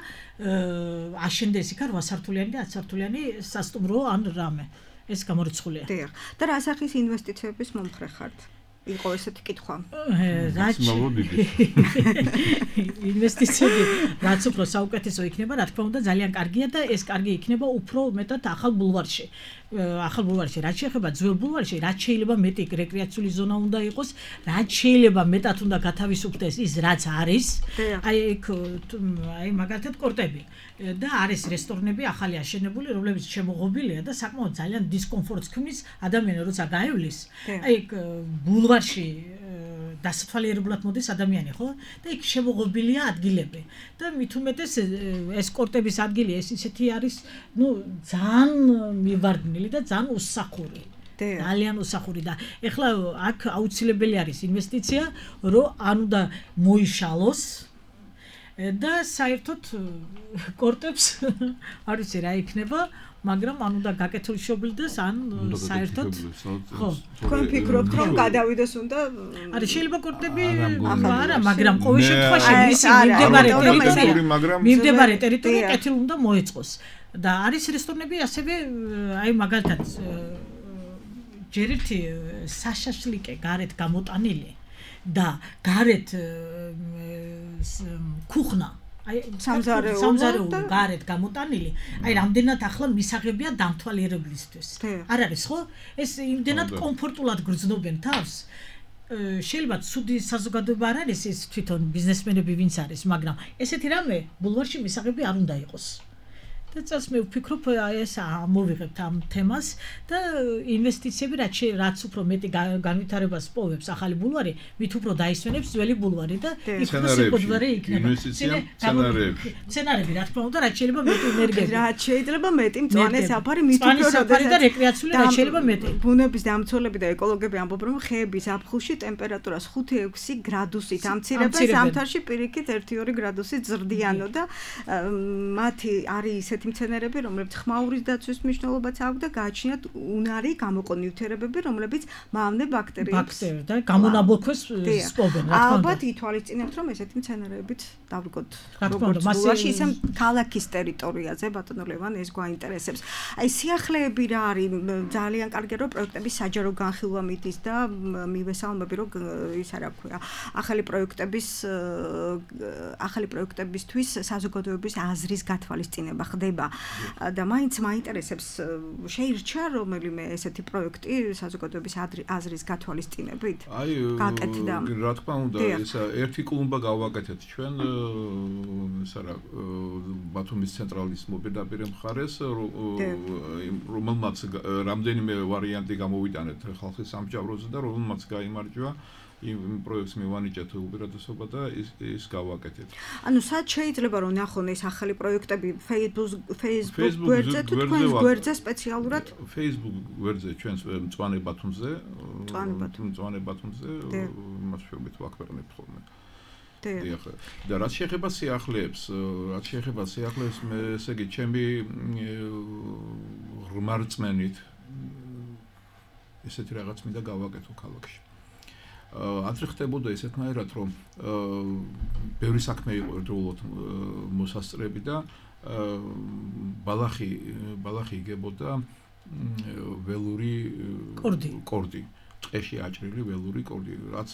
აშენდეს იქ რვასართულიანი და ათსართულიანი სასტუმრო ან რამე. ეს გამორიცხულია. დიახ. და რა სახის ინვესტიციების მომხრე ხართ? იყო ესეთი კითხვა. რაც ინვესტიციები რაც უფრო საუკეთესო იქნება, რა თქმა უნდა, ძალიან კარგია და ეს კარგი იქნება უფრო მეტად ახალ ბულვარში. ახალ ბულვარში, რაც შეეხება ძველ ბულვარში, რაც შეიძლება მეტი რეკრეაციული ზონა უნდა იყოს, რაც შეიძლება მეტად უნდა გათავისუფლდეს ის, რაც არის. აი იქ აი მაგალითად კორტები და არის რესტორნები ახალი აშენებული, რომლებიც შემოღობილია და საკმაოდ ძალიან დისკომფორტს ქმნის ადამიანი, როცა გაივლის. აი იქ ბულვარში დასათვალიერებლად მოდის ადამიანი, ხო? და იქ შემოღობილია ადგილები. და მით უმეტეს ეს კორტების ადგილი ეს ისეთი არის, ну, ძალიან მივარდნილი და ძალიან უსახური. ძალიან უსახური და ეხლა აქ აუცილებელი არის ინვესტიცია, რომ ან უნდა მოიშალოს და საერთოდ კორტებს არ ვიცი რა იქნება, მაგრამ ან უნდა გაკეთილშობილდეს, ან საერთოდ ხო, თქვენ ფიქრობთ რომ გადავიდეს უნდა არა შეიძლება კორტები არა, მაგრამ ყოველ შემთხვევაში მისი მიმდებარე ტერიტორია მიმდებარე ტერიტორია კეთილ უნდა მოეწყოს და არის რესტორნები ასევე აი მაგალითად ჯერ ერთი საშაშლიკე გარეთ გამოტანილი და გარეთ ქუხნა აი სამზარეულო გარეთ გამოტანილი აი რამდენად ახლა მისაღებია დამთვალიერებლისთვის არ არის ხო ეს იმდენად კომფორტულად გრძნობენ თავს შეიძლება ცუდი საზოგადოება არ არის ეს თვითონ ბიზნესმენები ვინც არის მაგრამ ესეთი რამე ბულვარში მისაღები არ უნდა იყოს და წელს მე ვფიქრობ ეს ამოვიღებთ ამ თემას და ინვესტიციები რაც რაც უფრო მეტი განვითარებას პოვებს ახალი ბულვარი მით უფრო დაისვენებს ძველი ბულვარი და იქ სიკვდილე იქნება სცენარები სცენარები რა თქმა უნდა რაც შეიძლება მეტი ენერგია რაც შეიძლება მეტი მწვანე საფარი მით უფრო საფარი და რეკრეაციული რაც შეიძლება მეტი ბუნების დამცველები და ეკოლოგები ამბობენ რომ ხეების აფხულში ტემპერატურას ხუთი ექვსი გრადუსით ამცირებენ ზამთარში პირიქით ერთი ორი გრადუსით ზრდიანო და მათი არის ისეთი მცენარები, რომლებიც ხმაურის დაცვის მნიშვნელობაც აქვს და გააჩნიათ უნარი გამოყო ნივთიერებები, რომლებიც მავნე ბაქტერიებს და გამონაბოლქვეს სპობენ, რა თქმა უნდა. ალბათ ითვალისწინებთ, რომ ესეთი მცენარეებით დავდგოთ. როგორც ბულვარში, ისე ქალაქის ტერიტორიაზე, ბატონო ლევან, ეს გვაინტერესებს. აი სიახლეები რა არის, ძალიან კარგია, რომ პროექტების საჯარო განხილვა მიდის და მივესალმები, რომ ის არა ქვია. ახალი პროექტების ახალი პროექტებისთვის საზოგადოების აზრის გათვალისწინება ხდება და მაინც მაინტერესებს შეირჩა რომელიმე ესეთი პროექტი საზოგადოების აზრის გათვალისწინებით გაკეთდა რა თქმა უნდა ესა ერთი კლუმბა გავაკეთეთ ჩვენ ეს არა ბათუმის ცენტრალის მოპირდაპირე მხარეს რომელმაც რამდენიმე ვარიანტი გამოვიტანეთ ხალხის სამსჯავროზე და რომელმაც გაიმარჯვა იმ პროექტს მივანიჭეთ უპირატესობა და ის ის გავაკეთეთ. ანუ სად შეიძლება რომ ნახონ ეს ახალი პროექტები Facebook Facebook გვერდზე თუ თქვენს გვერდზე სპეციალურად Facebook გვერდზე ჩვენს მწვანე ბათუმზე მწვანე ბათუმზე მას შევით ვაკვირნებთ ხოლმე. დიახ. და რაც შეეხება სიახლეებს, რაც შეეხება სიახლეებს, მე ესე იგი ჩემი ღრმარწმენით ესეთი რაღაც მინდა გავაკეთო ქალაქში. άντრე ხდებოდა ესეთნაირად რომ ბევრი საქმე იყო ერთდროულად მოსასწრები და ბალახი ბალახი იგებოდა ველური კორდი ტყეში აჭრილი ველური კორდი რაც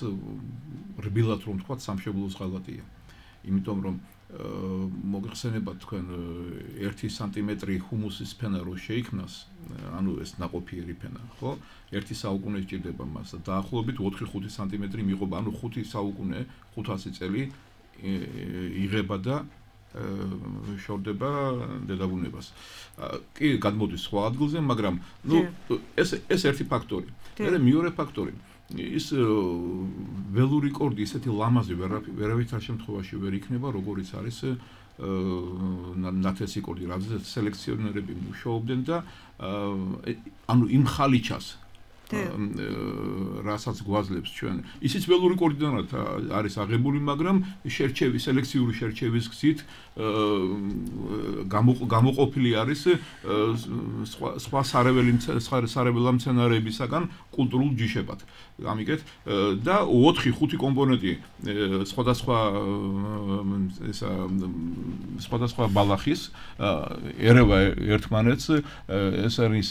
რბილად რომ თქვა სამშობლოს ღალატია იმიტომ რომ მოგეხსენებათ თქვენ ერთი სანტიმეტრი ჰუმუსის ფენა რო შეიქმნას ანუ ეს ნაყოფიერი ფენა ხო ერთი საუკუნე სჭირდება მას და დაახლოებით ოთხი ხუთი სანტიმეტრი მიიღობა ანუ ხუთი საუკუნე ხუთასი წელი იღება და შორდება დედაბუნებას კი გადმოდის სხვა ადგილზე მაგრამ ნუ ეს ეს ერთი ფაქტორი მე მეორე ფაქტორი ის ველური კორდი ისეთი ლამაზი ვერავითარ შემთხვევაში ვერ იქნება როგორიც არის ნათესი კორდი რადგან სელექციონერები მუშაობდნენ და ანუ იმ ხალიჩას რასაც გვაძლევს ჩვენ ისიც ველური კორდიდანად არის აღებული მაგრამ შერჩევი სელექციური შერჩევის გზით გამოყოფილი არის სხვა სხვა სარეველი სარეველა მცენარეებისაგან კულტურულ ჯიშებად გამიგეთ და ოთხი ხუთი კომპონენტი სხვადასხვა ესა სხვადასხვა ბალახის ერევა ერთმანეთს ეს არის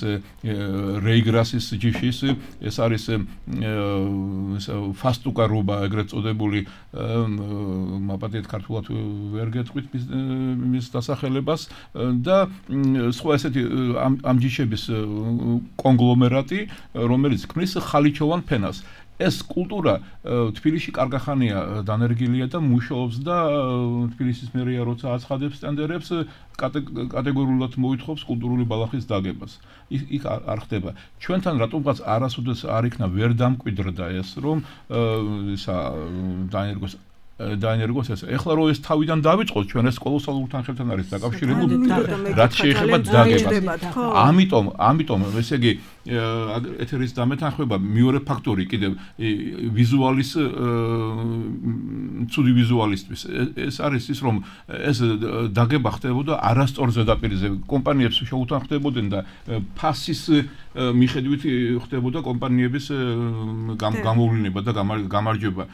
რეიგრასის ჯიშის ეს არის ფასტუკარობა ეგრეთ წოდებული მაპატიეთ ქართულად ვერ გეტყვით მის დასახელებას და სხვა ესეთი ამ ჯიშების კონგლომერატი რომელიც ქმნის ხალიჩოვან ფენას ეს კულტურა თბილისში კარგახანია დანერგილია და მუშაობს და თბილისის მერია როცა აცხადებს ტენდერებს კატეგორიულად მოითხოვს კულტურული ბალახის დაგებას. იქ არ ხდება. ჩვენთან რატომღაც არასოდეს არ იქნა ვერ დამკვიდრდა ეს რომ ისა დაენერგოს დაენერგოს ეს. ეხლა რომ ეს თავიდან დავიწყოთ ჩვენ ეს კოლოსალურ თანხებთან არის დაკავშირებული რაც შეეხება დაგებას. ამიტომ ამიტომ ესე იგი ეთერის დამეთანხმება მეორე ფაქტორი კიდევ ვიზუალის ცუდი ვიზუალისტვის ეს არის ის რომ ეს დაგება ხდებოდა არასწორ ზედაპირზე კომპანიებს შეუთანხმდებოდნენ და ფასის მიხედვით ხდებოდა კომპანიების გამოვლინება და გამარჯვება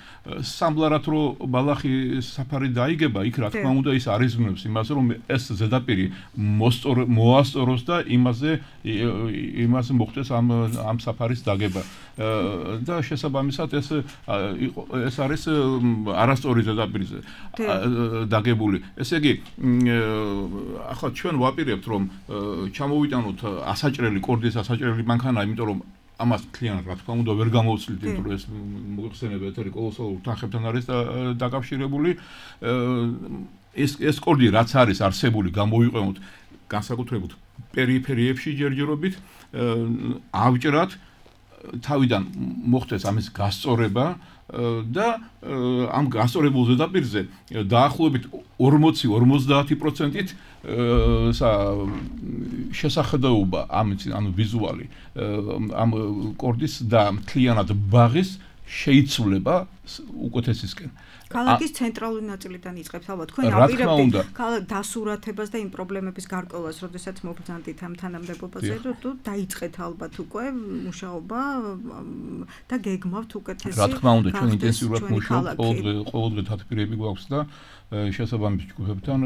სამბლარად რო ბალახი საფარი დაიგება იქ რა თქმა უნდა ის არიზმნებს იმას რომ ეს ზედაპირი მოასწოროს და იმაზე იმას მოხდეს მოხდეს ამ ამ საფარის დაგება. და შესაბამისად ეს ეს არის არასწორი ზედაპირზე დაგებული. ესე იგი, ახლა ჩვენ ვაპირებთ რომ ჩამოვიტანოთ ასაჭრელი კორდის ასაჭრელი მანქანა, იმიტომ რომ ამას მთლიანად რა თქმა უნდა ვერ გამოვცილით, იმიტომ რომ ეს მოიხსენება ეთერი კოლოსალურ თანხებთან არის დაკავშირებული. ეს ეს კორდი რაც არის არსებული გამოვიყენოთ განსაკუთრებით პერიფერიებში ჯერჯერობით, ავჭრათ, თავიდან მოხდეს ამის გასწორება და ამ გასწორებულ ზედაპირზე დაახლოებით ორმოცი ორმოცდაათი პროცენტით შესახედაობა ამის ანუ ვიზუალი ამ კორდის და მთლიანად ბაღის შეიცვლება უკეთესისკენ. ქალაქის ცენტრალური ნაწილიდან იწყებს ალბათ თქვენ აპირებთ ქალაქ დასურათებას და იმ პრობლემების გარკვევას, როდესაც მობრძანდით ამ თანამდებობაზე, თუ დაიწყეთ ალბათ უკვე მუშაობა და გეგმავთ უკეთესი. რა თქმა უნდა, ჩვენ ინტენსიურად მუშაობთ, ყოველდღე ყოველდღე თათბირები გვაქვს და შესაბამის ჯგუფებთან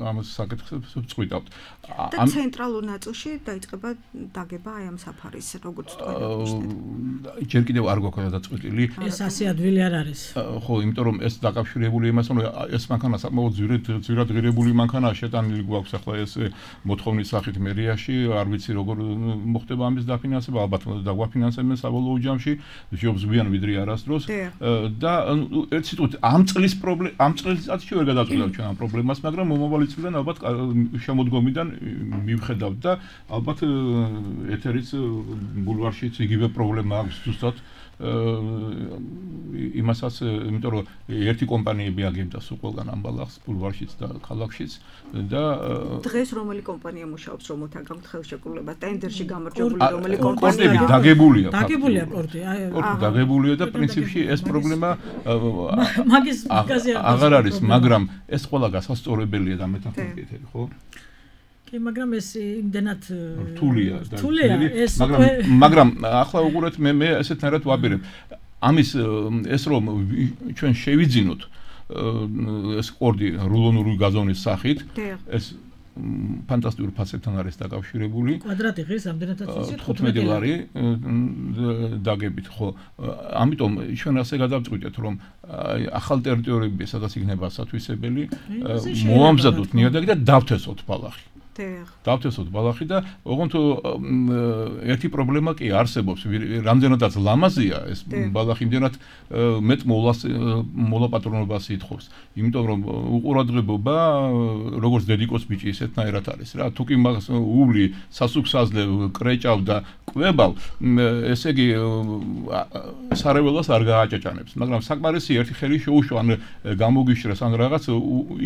ამ საკითხებს ვწყვიტავთ. და ცენტრალურ ნაწილში დაიწყება დაგება აი ამ საფარის, როგორც თქვენ აღნიშნეთ. ჯერ კიდევ არ გვაქვს გადაწყვეტილი. ეს ასე ადვილი არ არის. ხო, იმიტომ რომ ეს დაკავშირებული იმასთან, რომ ეს მანქანა საკმაოდ ძვირად ძვირად ღირებული მანქანაა, შეტანილი გვაქვს ახლა ეს მოთხოვნის სახით მერიაში, არ ვიცი როგორ მოხდება ამის დაფინანსება, ალბათ დაგვაფინანსებენ საბოლოო ჯამში, ჯობს გვიან ვიდრე არასდროს და ერთ სიტყვით ამ წლის პრობლემა ამ წელიწადში ვერ გადაწყვეტავთ ჩვენ ამ პრობლემას, მაგრამ მომავალი წლიდან ალბათ შემოდგომიდან მივხედავთ და ალბათ ეთერიც ბულვარშიც იგივე პრობლემა აქვს ზუსტად იმასაც, იმიტომ რომ ერთი კომპანიები აგებდა სულ ყველგან ამ ბალახს ბულვარშიც და ქალაქშიც და დღეს რომელი კომპანია მუშაობს რომ მოთა გაქვთ ხელშეკრულება ტენდერში გამარჯვებული რომელი კომპანია კორდები დაგებულია დაგებულია კორდი კორდი დაგებულია და პრინციპში ეს პრობლემა მაგის მაგაზე აღარ არის, მაგრამ ეს ყველა გასასწორებელია და მეთანხმებით, ხო? მაგრამ ეს იმდენად რთულია და ეს მაგრამ მაგრამ ახლა უყურეთ მე მე ესეთნაირად ვაპირებ ამის ეს რომ ჩვენ შევიძინოთ ეს კორდი რულონური გაზონის სახით ეს ფანტასტიკური ფასებთან არის დაკავშირებული კვადრატი ღირს ამდენადაც იცით თხუთმეტი ლარი დაგებით ხო ამიტომ ჩვენ ასე გადავწყვიტეთ რომ ახალ ტერიტორიები სადაც იქნება სათვისებელი მოამზადოთ ნიადაგი და დავთესოთ ბალახი დავთესოთ ბალახი და ოღონდ ერთი პრობლემა კი არსებობს რამდენადაც ლამაზია ეს ბალახი იმდენად მეტ მოვლას მოლაპატრონობას ითხოვს იმიტომ რომ უყურადღებობა როგორც დედიკოს ბიჭი ისეთნაირად არის რა თუ კი მას უვლი სასუქსაზლე კრეჭავ და კვებავ ესე იგი სარეველას არ გააჭაჭანებს მაგრამ საკმარისი ერთი ხელი შეუშვა ან გამოგიშრეს ან რაღაც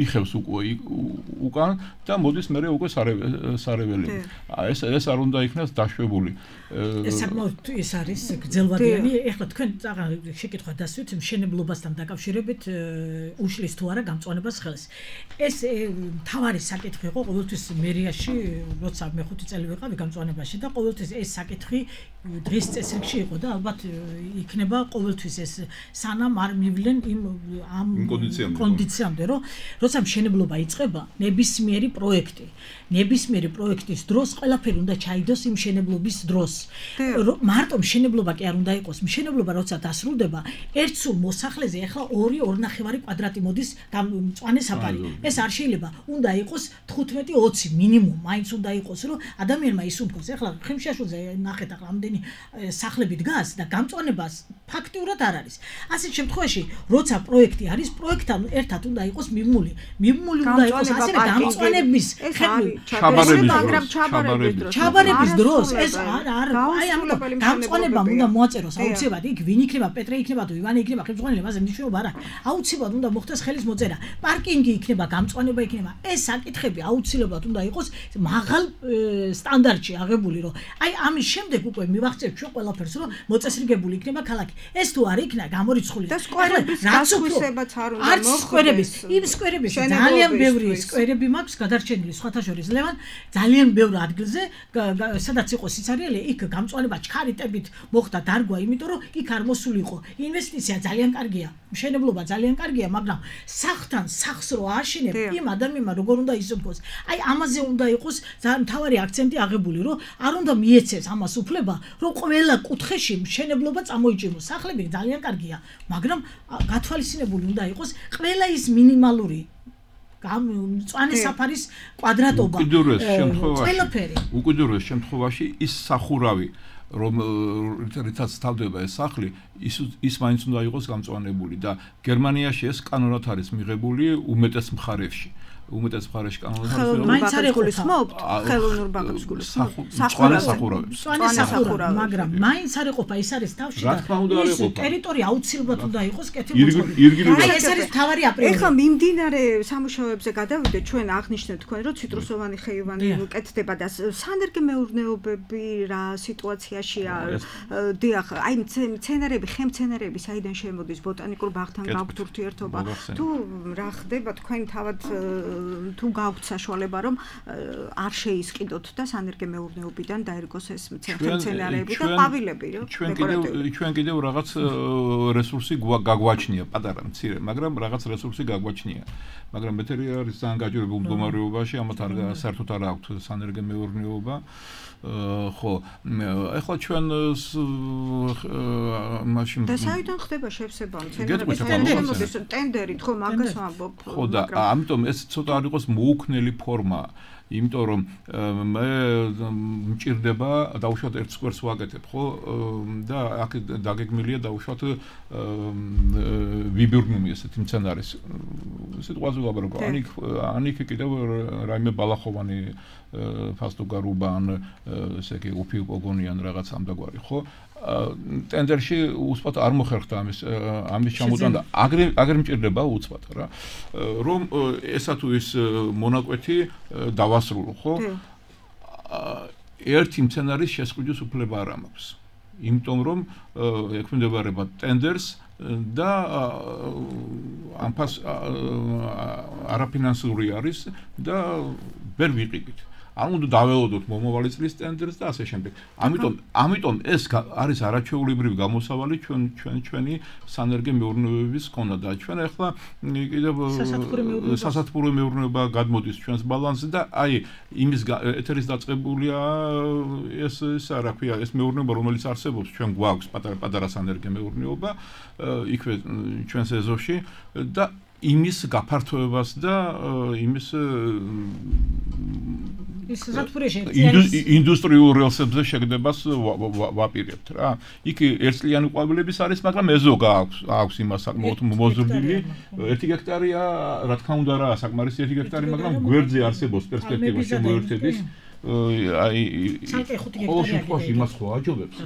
იხევს უკვე უკან და მოდის მერე უკვე სარეველი. ეს ეს არ უნდა იქნას დაშვებული. ეს საკმაოდ ის არის გრძელვადიანი. ეხლა თქვენ შეკითხვა დასვით მშენებლობასთან დაკავშირებით უშლის თუ არა გამწვანებას ხელს. ეს თავარი საკითხი იყო ყოველთვის მერიაში, როცა მე ხუთი წელი ვიყავი გამწვანებაში და ყოველთვის ეს საკითხი დღის წესრიგში იყო და ალბათ იქნება ყოველთვის ეს სანამ არ მივლენ იმ ამ კონდიციამდე, რომ როცა მშენებლობა იწყება, ნებისმიერი პროექტი ნებისმიერი პროექტის დროს ყველაფერი უნდა ჩაიდოს იმ მშენებლობის დროს. მარტო მშენებლობა კი არ უნდა იყოს. მშენებლობა როცა დასრულდება, ერთ სულ მოსახლეზე ახლა ორი ორნახევარი კვადრატი მოდის მწვანე საფარი. ეს არ შეიძლება. უნდა იყოს თხუთმეტი ოცი მინიმუმ. მაინც უნდა იყოს, რომ ადამიანმა ისუფოს. ახლა ხიმშაშვილზე ნახეთ ახლა ამდენი სახლები დგას და გამწვანებას ფაქტიურად არ არის. ასეთ შემთხვევაში, როცა პროექტი არის, პროექტთან ერთად უნდა იყოს მიმული. მიმული უნდა იყოს ასევე გამწვანების ჩაბარების მაგრამ ჩაბარების დროს ჩაბარების დროს ეს არ არ აი ამიტომ გამწვანებამ უნდა მოაწეროს აუცილებლად იქ ვინ იქნება პეტრე იქნება თუ ივანე იქნება ხელმძღვანელი მასე მნიშვნელობა არ აქვს აუცილებლად უნდა მოხდეს ხელის მოწერა პარკინგი იქნება გამწვანება იქნება ეს საკითხები აუცილებლად უნდა იყოს მაღალ სტანდარტში აღებული რომ აი ამის შემდეგ უკვე მივახცევთ ჩვენ ყველაფერს რომ მოწესრიგებული იქნება ქალაქი ეს თუ არ იქნა გამორიცხული და სკვერების გასხვისებაც არ უნდა მოხდეს იმ სკვერების ძალიან ბევრი სკვერები მაქვს გადარჩენილი სხვათა შორის ძლევან ძალიან ბევრ ადგილზე სადაც იყო სიცარიელი იქ გამწვანება ჩქარიტებით მოხდა დარგვა იმიტომ რომ იქ არ მოსულიყო ინვესტიცია ძალიან კარგია მშენებლობა ძალიან კარგია მაგრამ სახთან სახს რო აშენებ იმ ადამიანმა როგორ უნდა იზრდოს აი ამაზე უნდა იყოს მთავარი აქცენტი აღებული რომ არ უნდა მიეცეს ამას უფლება რომ ყველა კუთხეში მშენებლობა წამოიჭიმოს სახლები ძალიან კარგია მაგრამ გათვალისწინებული უნდა იყოს ყველა ის მინიმალური მწვანე საფარის კვადრატობა ყველაფერი უკიდურეს შემთხვევაში ის სახურავი რომ რითაც თავდება ეს სახლი ის ის მაინც უნდა იყოს გამწვანებული და გერმანიაში ეს კანონად არის მიღებული უმეტეს მხარეებში უმეტეს მხარეში კანონად არის მაინც არ ეკუთვნებთ ხელოვნურ ბაღებს გულისხმობთ სახურავი მწვანე სახურავი მაგრამ მაინც არ ეყოფა ის არის თავში და ის ტერიტორია აუცილებლად უნდა იყოს კეთილმოწყობილი ეს არის თავარი აპრიორი ეხლა მიმდინარე სამუშაოებზე გადავიდეთ ჩვენ აღნიშნეთ თქვენ რომ ციტრუსოვანი ხეივანი კეთდება და სანერგე მეურნეობები რა სიტუაციაშია დიახ აი მცენარეები ხემცენარეები საიდან შემოდის ბოტანიკურ ბაღთან გაქვთ ურთიერთობა თუ რა ხდება თქვენ თავად თუ გაქვთ საშუალება რომ არ შეისყიდოთ და სანერგე მეურნეობიდან დაერგოს ეს მცენარეები და ყვავილები რომ ჩვენ კიდევ ჩვენ კიდევ რაღაც რესურსი გაგვაჩნია პატარა მცირე მაგრამ რაღაც რესურსი გაგვაჩნია მაგრამ მეტერი არის ძალიან გაჭირებულ მდგომარეობაში ამათ არ საერთოდ არ აქვთ სანერგე მეურნეობა ხო ეხლა ჩვენ მაშინ და საიდან ხდება შევსება მცენარეების ტენდერით ხო მაგას ვამბობ ხო და ამიტომ ეს ცოტა არ იყოს მოუქნელი ფორმა იმიტომ რომ მე მჭირდება დაუშვათ ერთ სკვერს ვაკეთებ ხო და აქ დაგეგმილია დაუშვათ ვიბიურნუმი ესეთი მცენარის სიტყვაზე ვაბარგო ანიქ ანიქ კიდევ რაიმე ბალახოვანი ფასტოგარუბა ან ესე იგი უფი პოგონიან რაღაც ამდაგვარი ხო ტენდერში უცბად არ მოხერხდა ამის ამის ჩამოტანა აგრე აგრე მჭირდება უცბად რა რომ ესა თუ ის მონაკვეთი დავასრულო ხო ერთი მცენარის შესყიდვის უფლება არ მაქვს იმიტომ რომ ექვემდებარება ტენდერს და ამ ფას არაფინანსური არის და ვერ ვიყიდით არ უნდა დაველოდოთ მომავალი წლის ტენდერს და ასე შემდეგ. ამიტომ ამიტომ ეს არის არაჩვეულებრივი გამოსავალი ჩვენ ჩვენ ჩვენი სანერგე მეურნეობების ქონა და ჩვენ ახლა კიდევ სასათბურო მეურნეობა გადმოდის ჩვენს ბალანსზე და აი იმის ეთერის დაწყებულია ეს ეს რა ქვია ეს მეურნეობა რომელიც არსებობს ჩვენ გვაქვს პატარა-პატარა სანერგე მეურნეობა იქვე ჩვენს ეზოში და იმის გაფართოებას და იმის ინდუსტრიულ რელსებზე შეგდებას ვაპირებთ რა. იქ ერთწლიანი ყვავილების არის, მაგრამ ეზო გააქვს, აქვს იმას საკმაოდ მოზრდილი. ერთი გექტარია, რა თქმა უნდა რა, საკმარისი ერთი გექტარი, მაგრამ გვერდზე არსებობს პერსპექტივა შემოერთების. აი ყოველ შემთხვევაში იმას ხო აჯობებს,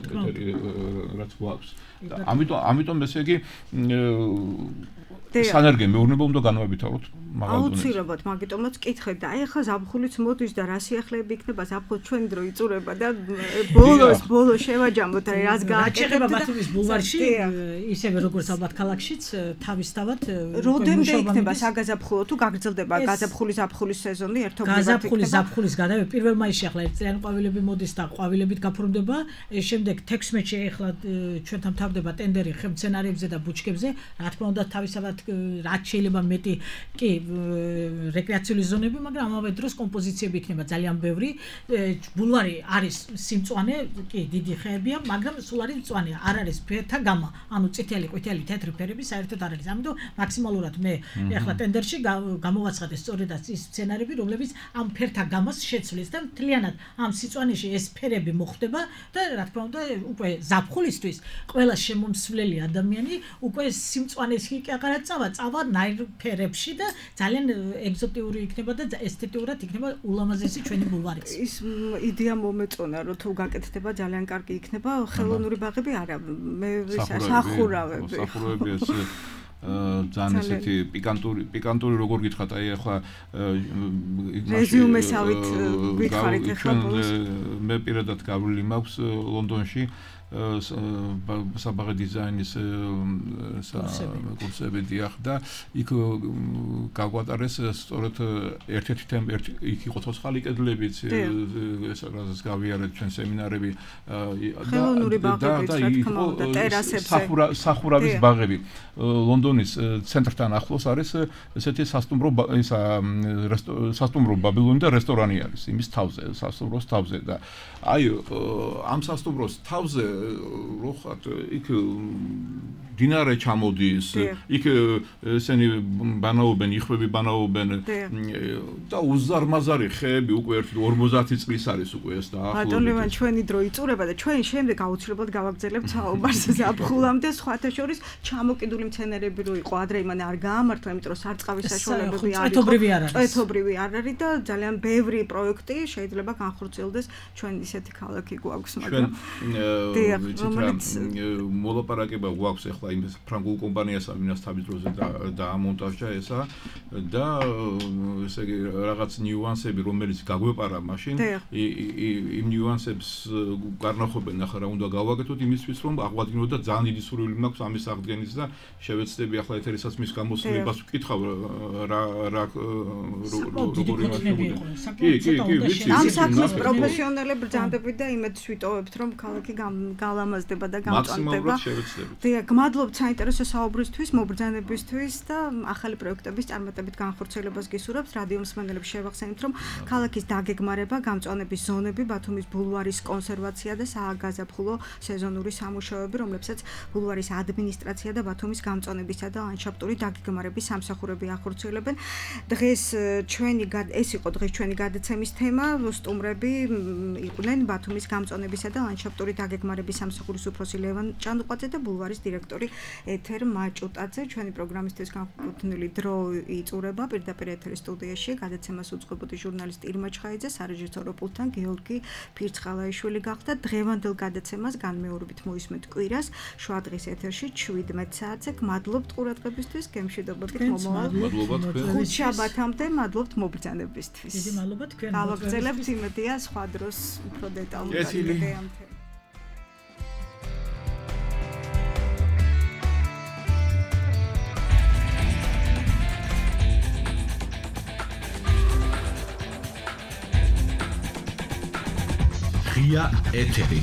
რაც გვაქვს. ამიტომ ამიტომ ესე იგი სანერგე მეურნეობა უნდა განვავითაროთ მაგალითად. აუცილებლად, მაგიტომაც კითხეთ და აი ახლა ზაფხულიც მოდის და რა სიახლეები იქნება, ზაფხულ ჩვენ დრო იწურება და ბოლოს ბოლოს შევაჯამოთ აი რაც გააკეთება ბათუმის ბულვარში, ისევე როგორც ალბათ ქალაქშიც თავისთავად როდემდე იქნება საგაზაფხულო თუ გაგრძელდება გაზაფხულის ზაფხულის სეზონი ერთობლივად იქნება. გაზაფხულის ზაფხულის გადავე პირველ მაისში ახლა ერთწლიანი ყვავილები მოდის და ყვავილებით გაფორმდება, შემდეგ თექვსმეტში ახლა ჩვენთან თავდება ტენდერი ხემცენარეებზე და ბუჩქებზე, რა თქმა უნდა თავისთავად რაც შეიძლება მეტი კი რეკრეაციული ზონები, მაგრამ ამავე დროს კომპოზიციები იქნება ძალიან ბევრი. ბულვარი არის სიმწვანე, კი დიდი ხეებია, მაგრამ სულ არის მწვანე, არ არის ფერთა გამა, ანუ წითელი, ყვითელი, თეთრი ფერები საერთოდ არ არის. ამიტომ მაქსიმალურად მე ახლა ტენდერში გამოვაცხადე სწორედ ის სცენარები, რომლებიც ამ ფერთა გამას შეცვლის და მთლიანად ამ სიწვანეში ეს ფერები მოხდება და რა თქმა უნდა უკვე ზაფხულისთვის ყველა შემომსვლელი ადამიანი უკვე სიმწვანეს კი აღარაც წავა, წავა ნაირ ფერებში და ძალიან ეგზოტიური იქნება და ესთეტიურად იქნება ულამაზესი ჩვენი ბულვარიც. ის იდეა მომეწონა, რომ თუ გაკეთდება ძალიან კარგი იქნება, ხელოვნური ბაღები არა, მე სახურავები. სახურავები ეს ძალიან ესეთი პიკანტური პიკანტური როგორ გითხრათ, აი ახლა რეზიუმესავით გითხარით ახლა მე პირადად გავლილი მაქვს ლონდონში საბაღე დიზაინის კურსები დიახ და იქ გაგვატარეს სწორედ ერთ-ერთი თემა იქ იყო ცოცხალი კედლებიც ეს რაზეც გავიარეთ ჩვენ სემინარები და და იყო სახურავის ბაღები ლონდონის ცენტრთან ახლოს არის ესეთი სასტუმრო ისა სასტუმრო ბაბილონი და რესტორანი არის იმის თავზე სასტუმროს თავზე და აი ამ სასტუმროს თავზე რო ხარ იქ დინარე ჩამოდის იქ ესენი ბანაობენ იხვები ბანაობენ და უზარმაზარი ხეები უკვე ერთი ორმოცი წლის არის უკვე ეს და ახლობლად ბატონო ჩვენი დრო იწურება და ჩვენ შემდეგ აუცილებლად გავაგრძელებთ საუბარს ზაფხულამდე სხვათა შორის ჩამოკიდული მცენარეები რო იყო ადრე იმან არ გაამართლა იმიტომ რომ სარწყავის საშუალებები არ იყო წვეთობრივი არ არის და ძალიან ბევრი პროექტი შეიძლება განხორციელდეს ჩვენ ისეთი ქალაქი გვაქვს მაგრამ რომელიც მოლაპარაკება გვაქვს ახლა იმ ფრანგულ კომპანიასთან ვინაც თავის დროზე დაამონტაჟა ესა და ესე იგი რაღაც ნიუანსები რომელიც გაგვეპარა მაშინ იმ ნიუანსებს გარნახობენ ახლა რა უნდა გავაკეთოთ იმისთვის რომ აღვადგინოთ და ძალიან დიდი სურვილი მაქვს ამის აღდგენის და შევეცდები ახლა ეთერისაც მის გამოცდილებას ვკითხავ რა რა როგორი მასშტაბია კი კი კი ვიცი ამ საქმის პროფესიონალები ბრძანდებით და იმედს ვიტოვებთ რომ ქალაქი გალამაზდება და გამწვანდება დიახ გმადლობთ საინტერესო საუბრისთვის მობრძანებისთვის და ახალი პროექტების წარმატებით განხორციელებას გისურვებთ რადიო მსმენელებს შევახსენებთ რომ ქალაქის დაგეგმარება გამწვანების ზონები ბათუმის ბულვარის კონსერვაცია და სააგაზაფხულო სეზონური სამუშაოები რომლებსაც ბულვარის ადმინისტრაცია და ბათუმის გამწვანებისა და ლანდშაფტური დაგეგმარების სამსახურები ახორციელებენ დღეს ჩვენი ეს იყო დღეს ჩვენი გადაცემის თემა სტუმრები იყვნენ ბათუმის გამწვანებისა და ლანდშაფტური დაგეგმარების სამსახურის უფროსი ლევან ჭანდუყვაძე და ბულვარის დირექტორი ეთერ მაჭუტაძე ჩვენი პროგრამისთვის განკუთვნილი დრო იწურება პირდაპირ ეთერის სტუდიაში გადაცემას უწყობოდი ჟურნალისტი ირმა ჩხაიძე სარეჟისორო პულტთან გეორგი ფირცხალაიშვილი გახდა დღევანდელ გადაცემას განმეორებით მოისმენთ კვირას შუა დღის ეთერში შვიდმეტ საათზე გმადლობთ ყურადღებისთვის გემშვიდობებით მომავალ ხუთშაბათამდე მადლობთ მობრძანებისთვის დიდი მადლობა თქვენ გავაგრძელებთ იმედია სხვა დროს უფრო დეტალურად გადაამთავრებთ ღია ეთერი